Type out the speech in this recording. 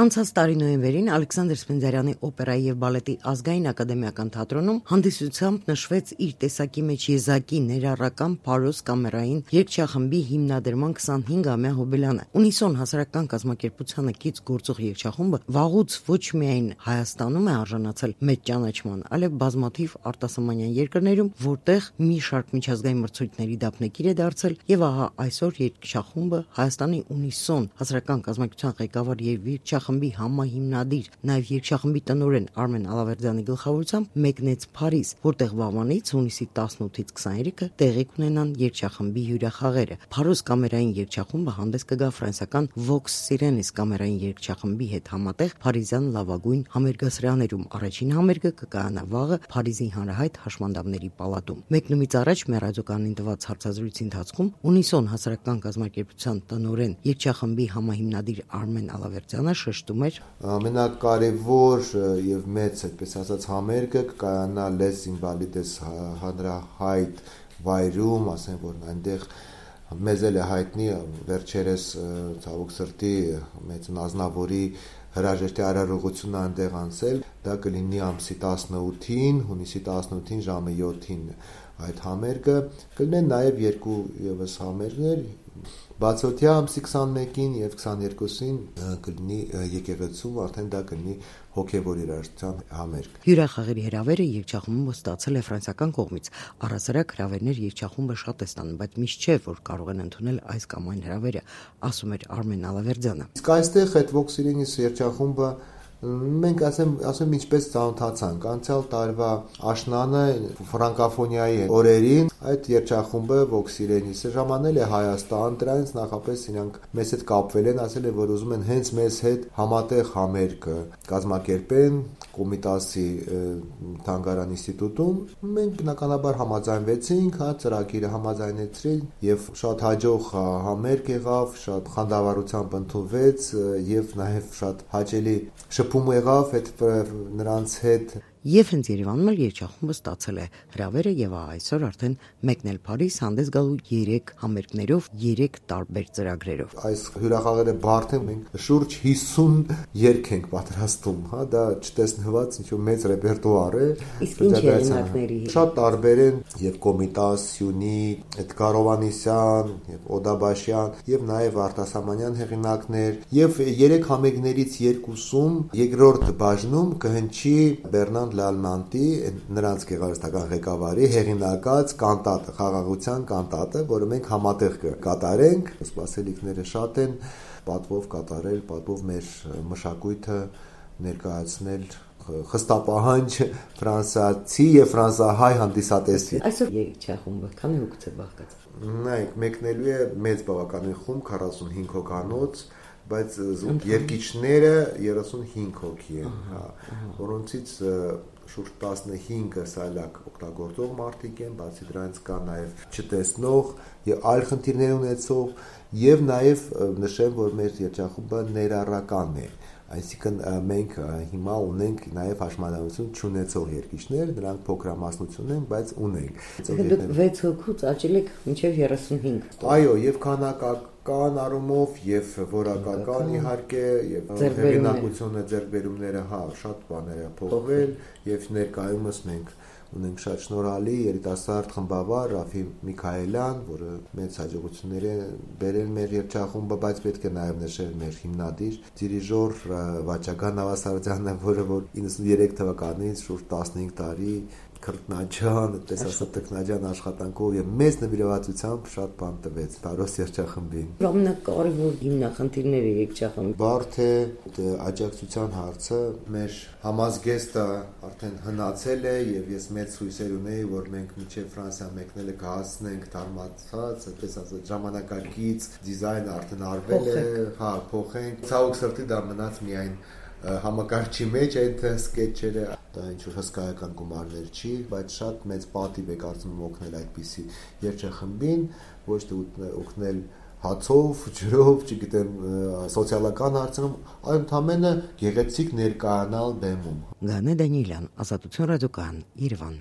Անցած տարի նոյեմբերին Ալեքսանդր Սպենդիարյանի օպերայի եւ բալետի ազգային ակադեմիական թատրոնում հանդիսությամբ նշվեց իր տեսակի մեջ եզակի ներառական Փարոս կամերային երգչախմբի հիմնադրման 25-ամյա հոբելյանը։ Ունիսոն հասարակական կազմակերպությանը կից գործող երգչախումբը վաղուց ոչ միայն Հայաստանում է արժանացել մեծ ճանաչման, այլև բազմաթիվ արտասահմանյան երկրներում, որտեղ մի շարք միջազգային մրցույթների դափնեկիր է դարձել, եւ ահա այսօր երգչախումբը Հայաստանի Ունիսոն հասարակական կազմակերպության ղեկավար եւ երգչախմբի համահիմնադիր, նաև երգչախմբի տնօրեն Արմեն Ալավերդյանի գլխավորությամբ մեկնեց Փարիզ, որտեղ վաղվանից հունիսի 18-ից 23-ը տեղի կունենան երգչախմբի հյուրախաղերը։ Փարոս կամերային երգչախումբը հանդես կգա ֆրանսիական Vox Sirenis կամերային երգչախմբի հետ համատեղ Փարիզյան լավագույն համերգասրահներում։ Առաջին համերգը կկայանա վաղը Փարիզի հանրահայտ հաշմանդամների պալատում։ Մեկնումից առաջ մեր ռադիոկայանին տված հարցազրույցի ընթացքում Ունիսոն հասարակական կազմակերպության տնօրեն երգչախմբի համահիմնադիր Արմեն Ալավերդյանը շեշտում էր. ամենակարևոր եւ մեծ, այդպես ասած, համերգը կկայանա Les Invalides հանրահայտ վայրում, ասեն որ այնտեղ մեզ էլ է հայտնի վերջերս ցավոք սրտի մեծ Ազնավուրի հրաժեշտի արարողությունը այնտեղ անցել, դա կլինի ամսի 18-ին, հունիսի 18-ին ժամը 7-ին այդ համերգը, կլինեն նաև երկու եւս համերգներ, բացօթյա ամսի 21-ին եւ 22-ին կլինի եկեղեցում, արդեն դա կլինի հոգեվոր երաժշտության համերգ։ Հյուրախաղերի հրավերը երգչախումբը ստացել է ֆրանսիական կողմից։ Առհասարակ հրավերներ երգչախումբը շատ է ստանում, բայց միշտ չէ, որ կարող են ընդունել այս կամ այն հրավերը, ասում էր Արմեն Ալավերդյանը։ Իսկ այստեղ այդ Vox Sirenis երգչախումբը մենք ասեմ ինչպես ծանոթացանք անցյալ տարվա աշնանը ֆրանկոֆոնիայի օրերին այդ երգչախումբը Vox Sirenis-ը ժամանել է Հայաստան, դրանից նախապես իրանք մեզ հետ կապվել են, ասել են որ ուզում են հենց մեզ հետ համատեղ համերգ կազմակերպեն Կոմիտասի թանգարան ինստիտուտում, մենք բնականաբար համաձայնվեցինք, ծրագիրը համաձայնեցրին եւ շատ հաջող համերգ եղավ, շատ խանդավառությամբ ընդունվեց եւ նաեւ շատ հաճելի շփում եղավ այդ նրանց հետ։ Եվ հենց Երևանում էլ երգչախումբը ստացել է հրավերը եւ այսօր արդեն մեկնել Փարիզ հանդես գալու 3 համերգներով, 3 տարբեր ծրագրերով։ Այս հյուրախաղերը բարդ են, մենք շուրջ 50 երգ ենք պատրաստում, հա, դա չտեսնված ինչ-որ մեծ ռեպերտուար է։ Իսկ ինչ հեղինակների։ Շատ տարբեր են եւ Կոմիտաս, Սյունի, Էդգար Հովհաննիսյան, եւ Օդաբաշյան, եւ նաեւ արտասահմանյան հեղինակներ, եւ 3 համերգներից 2-ում երկրորդ բաժնում կհնչի Բեռնան Լալմանտի նրանց գեղարվեստական ղեկավարի հեղինակած կանտատը, խաղաղության կանտատը, որը մենք համատեղ կկատարենք։ Սպասելիքները շատ են, պատվով կատարել, պատվով մեր մշակույթը ներկայացնել խստապահանջ ֆրանսիացի եւ ֆրանսահայ հանդիսատեսի։ Այսօր երգչախումբը քանի հոգ է բաղկացած։ Նայեք, մեկնելու է մեծ բավականին խումբ 45 հոգանոց, բայց երգիչները 35 հոգի են, որոնցից շուրջ 15-ը սայլակ օգտագործող մարդիկ են, բացի դրանից կա նաև չտեսնող եւ այլ խնդիրներ ունեցող եւ նաև նշեմ, որ մեր երգչախումբը ներառական է, այսինքն մենք հիմա ունենք նաև հաշմանդամություն չունեցող երգիչներ, նրանք փոքրամասնություն են, բայց ունենք։ Դուք 6 հոգուց աճել եք մինչև 35։ Այո, եւ քանակական առումով եւ որակական իհարկե եւ հեղինակությունը ձեռքբերումները, հա, շատ բաներ է փոխվել եւ ներկայումս մենք ունենք շատ շնորհալի երիտասարդ խմբավար Ռաֆի Միքայելյան, որը մեծ հաջողություններ է բերել մեր երգչախումբը, բայց պետք է նաև նշել մեր հիմնադիր դիրիժոր Վաչագան Նավասարդյանը, որը որ 93 թվականից շուրջ 15 տարի քրտնաջան, այդպես ասած տեխնաջան աշխատանքով եւ մեծ նվիրվածությամբ շատ բան տվեց Փարոս երգչախմբին։ Ամենակարևոր հիմնախնդիրները երգչախմբի բարդ է աջակցության հարցը, մեր համազգեստը արդեն հնացել է եւ ես մեծ հույսեր ունեի, որ մենք մինչեւ Ֆրանսիա մեկնելը կհասնենք դարմացած, այդպես ասած ժամանակակից դիզայնը արդեն արվել է, հա, փոխենք։ Ցավոք սրտի դա մնաց միայն համակարգչի մեջ այդ սկեթչերը, դա ինչ-որ հսկայական գումարներ չի, բայց շատ մեծ պատիվ է կարծում եմ օգնել այդպիսի երգչախմբին, ոչ թե օգնել հացով, ջրով, չգիտեմ, սոցիալական հարցերում, այլ ընդամենը գեղեցիկ ներկայանալ բեմում։ Գանե Դանիելյան, Ազատություն ռադիոկայան, Երևան։